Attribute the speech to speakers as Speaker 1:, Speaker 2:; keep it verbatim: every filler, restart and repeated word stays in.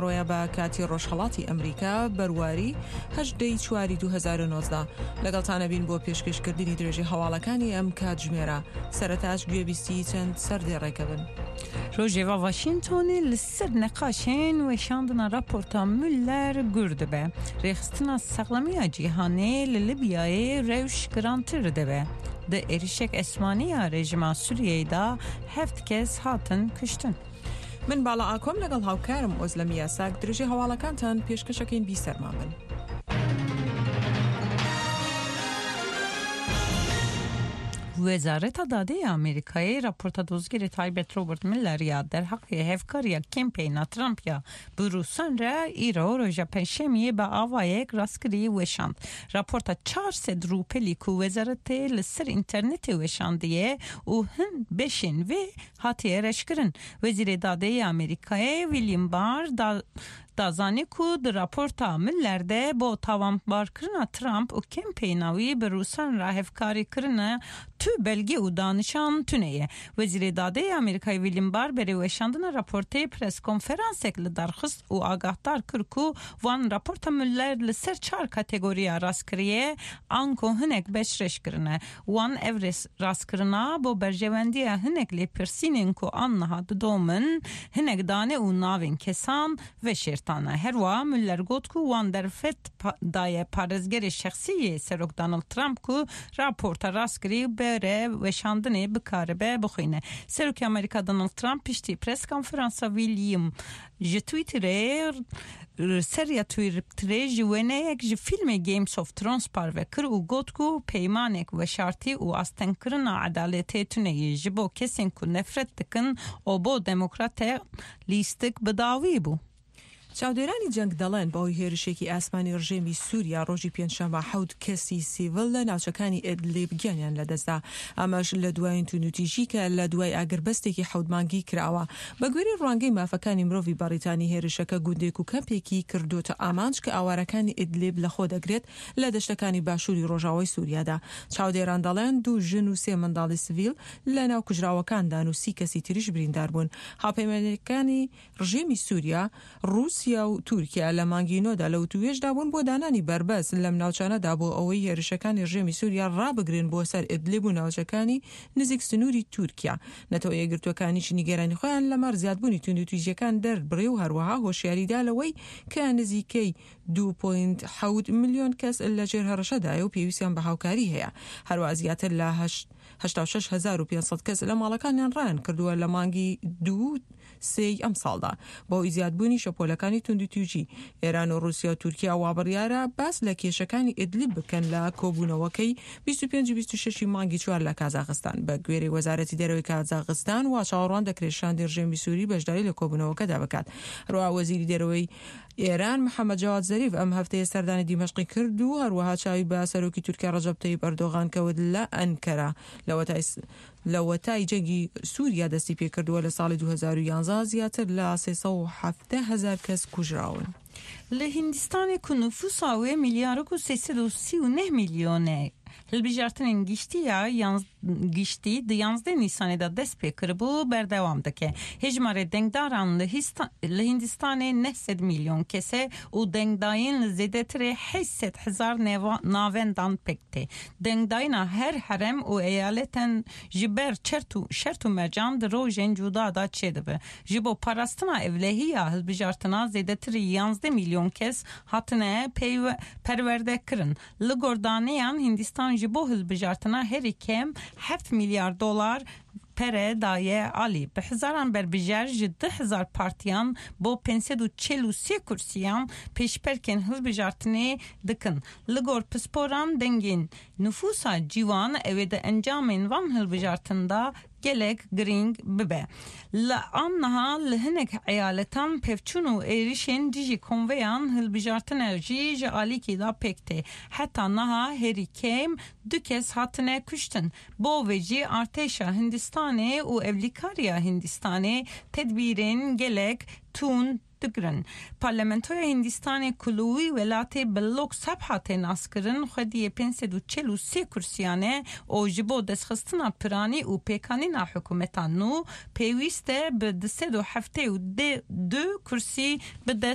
Speaker 1: ڕۆیە بە کاتی ڕۆژهەڵاتی ئەمریکا بەرواری هەژدە ی چواری دوو هەزار و نۆزدە لەگەڵتانە بین بۆ پێشکەشکردنی درێژەی هەواڵەکانی ئەم کاتژمێرە. سەرەتاش گوێبیستی چەند سەردێڕێکە بن.
Speaker 2: ڕۆژێڤا واشینگتۆنی لەسەر نقاشێن وەشاندنا راپۆرتا Mueller gur dibe. Rêxistina Saxlemiya Cîhanê li Libyayê rewş girantir dibe. Di êrişek esmanî ya rejîma Sûriyeyê de heft kes hatin kuştin.
Speaker 1: من باڵا ئاکۆم لەگەڵ هاوکارم ئۆزلەم یاساک درێژەی هەواڵەکانتان پێشکەشەکەین بیسەرمان بن.
Speaker 2: Wezareta Dadê ya Amerîkayê raporta dozgerê taybet Robert Mueller ya derheqê hevkariya kempeyna Trump ya bi Rûsan re îro roja Pêncşemiyê bi avayek rastkirî weşand. Raporta çar sed rûpelî ku wezaretê li ser înternetê weşandiye û hin beşên wê hatiye reşkirin. Wezîrê Dadê ya Amerîkayê William Barr da da zanî ku di raporta Mueller de bo tawanbarkirina Trump û kempeyna wî bi Rûsan re hevkarî kirine tu belge û danişan tune ye. Wezîrê Dadê ya Amerîkayê William Barr berê weşandina raportê preskonferansek li dar xist û agahdar kir ku wan raporta Mueller li ser çar kategoriya rastkiriye anko hinek beş reş kirine. Wan ev rastkirina bo berjewendiya hinek lêpirsînên ku an niha didomin hinek dane û navên kesan veşêrtane. Herwiha Mueller got ku wan derfet daye parêzgerê şexsî yê Serok Donald Trump ku raporta rastkirî bere weşandinê bikaribe bixwîne. Serokê Amerîka Donald Trump piştî preskonferansa William ji Twitterê seriya Twitterê ji wêneyek ji fîlmê Games of Thrones parve kir û got ku peymanek weşartî û astengkirina edaletê tuneyê ji bo kesên ku nefret dikin û bo demokratê lîstik bi dawî bû.
Speaker 1: چاودێرانی جەنگ دەڵێن بەهۆی هێرشێکی ئاسمانی ڕژێمی سووریا ڕۆژی پێنجشەممە حەوت کەسی سیڤل لە ناوچەکانی ئیدلیب گیانیان لەدەستدا. ئەمەش لە دوایین توندوتیژی کە لە دوای ئاگربەستێکی حەوت مانگی کراوە. بە گوێرەی ڕوانگەی مافەکانی مرۆڤی بەریتانی هێرشەکە گوندێک و کەمپێکی کردوتە ئامانج کە ئاوارەکانی ئیدلیب لەخۆ دەگرێت لە دەشتەکانی باشووری ڕۆژاوای سووریادا. چاودێران دەڵێن دوو ژن و سێ منداڵی سڤیل لە ناو کوژراوەکاندان و سی کەسی تریش بریندار بوون. هاوپەیمانەکانی ڕژێمی سووریا ڕووسیا و تورکیا لە مانگی نۆدا لە وتوێژدا بوون بۆ دانانی بەربەست لەم ناوچانەدا بۆ ئەوەی هێرشەکانی ڕژێمی سووریا ڕابگرن بۆ سەر ئیدلیب و ناوچەکانی نزیک سنووری تورکیا. نەتەوە یەکگرتووەکانیش نیگەرانی خۆیان لەمەڕ زیادبوونی توندوتیژیەکان دەربڕی و هەروەها هۆشیاریدا لەوەی کە نزیکەی دوو پۆینت حەوت ملیۆن کەس لەژێر هەڕەشەدایە و پێویستیان بە هاوکاری هەیە. هەروەها زیاتر لە هەشتا و شەش هەزار و پێنج سەد کەس لە ماڵەکانیان ڕایان کردووە لە مانگی دوو سێی ئەمساڵدا بەهۆی زیادبوونی شەپۆلەکانی توندوتیژی. ئێران و ڕووسیا و تورکیا وابڕیارە باس لە کێشەکانی ئیدلیب بکەن لە کۆبوونەوەکەی بیست و پێنج و بیست و شەش مانگی چوار لە کازاخستان. بە گوێرەی وەزارەتی دەرەوەی کازاخستان وا چاوەڕوان دەکرێت شاندی ڕژێمی سووری بەشداری لە کۆبوونەوەکەدا بکات. هەروەها وەزیری دەرەوەی ئێران محەممەد جەواد زەریف ئەم هەفتەیە سەردانی دیمەشقی کرد و هەروەها چاوی بە سەرۆکی تورکیا ڕەجەب تەیب ئەردۆغان کەوت لە ئەنکەرە. لەوەتای جەنگی سووریا دەستی پێکردووە لە ساڵی دوو هەزار و یانزە زیاتر لە سێ سەد و حەفتا هەزار کەس کوژراون.
Speaker 2: لە هیندستانê ku nüfusa wê milyarek û sê sed û sî û neh milyon e hilbijartinên giştî ya giştî di yanzdeh Nîsanê de dest pê kiribû berdewam dike. Hejmarê dengdaran li Hindistanê neh sed milyon kes e û dengdayîn li zêdetirê heşt sed hezar navendan pêk tê. Dengdayîna her herem û eyaleten ji ber şert û mercan di rojên cuda da çêdibe. Ji bo parastina evlehiya hilbijartina zêdetirê yanzdeh milyon kes hatine perwerdekirin. Li gor daneyan Hindistan ji bo hilbijartina herî kêm heft milyar dolar pere daye alî. Bi hezaran berbijer ji du hezar partiyan bo pênc sed û çil û sê kursiyan pêşberkên hilbijartinê dikin. Li gor pisporan dengên nüfusa cîwan ew ê di encamên van hilbijartinda gelek girîng bibe. Li an niha li hinek eyaletan pevçûn û êrişên dijî konveyan hilbijartine jî ji alîkê da pêk tê. Heta niha herî kêm du kes hatine kuştin. Bo vê jî artêşa Hindistanê û Evlîkariya Hindistanê tedbîrên gelek tund digirin. Parlamentoya Hindistanê ku li wî welatê bi Lok Sabha tê naskirin xwediyê pênc sed û çil û sê kursiyan e û ji bo destxistina piranî û pêkanîna hikûmeta nû pêwîst e bi du sed û heftê û du kursî bi dest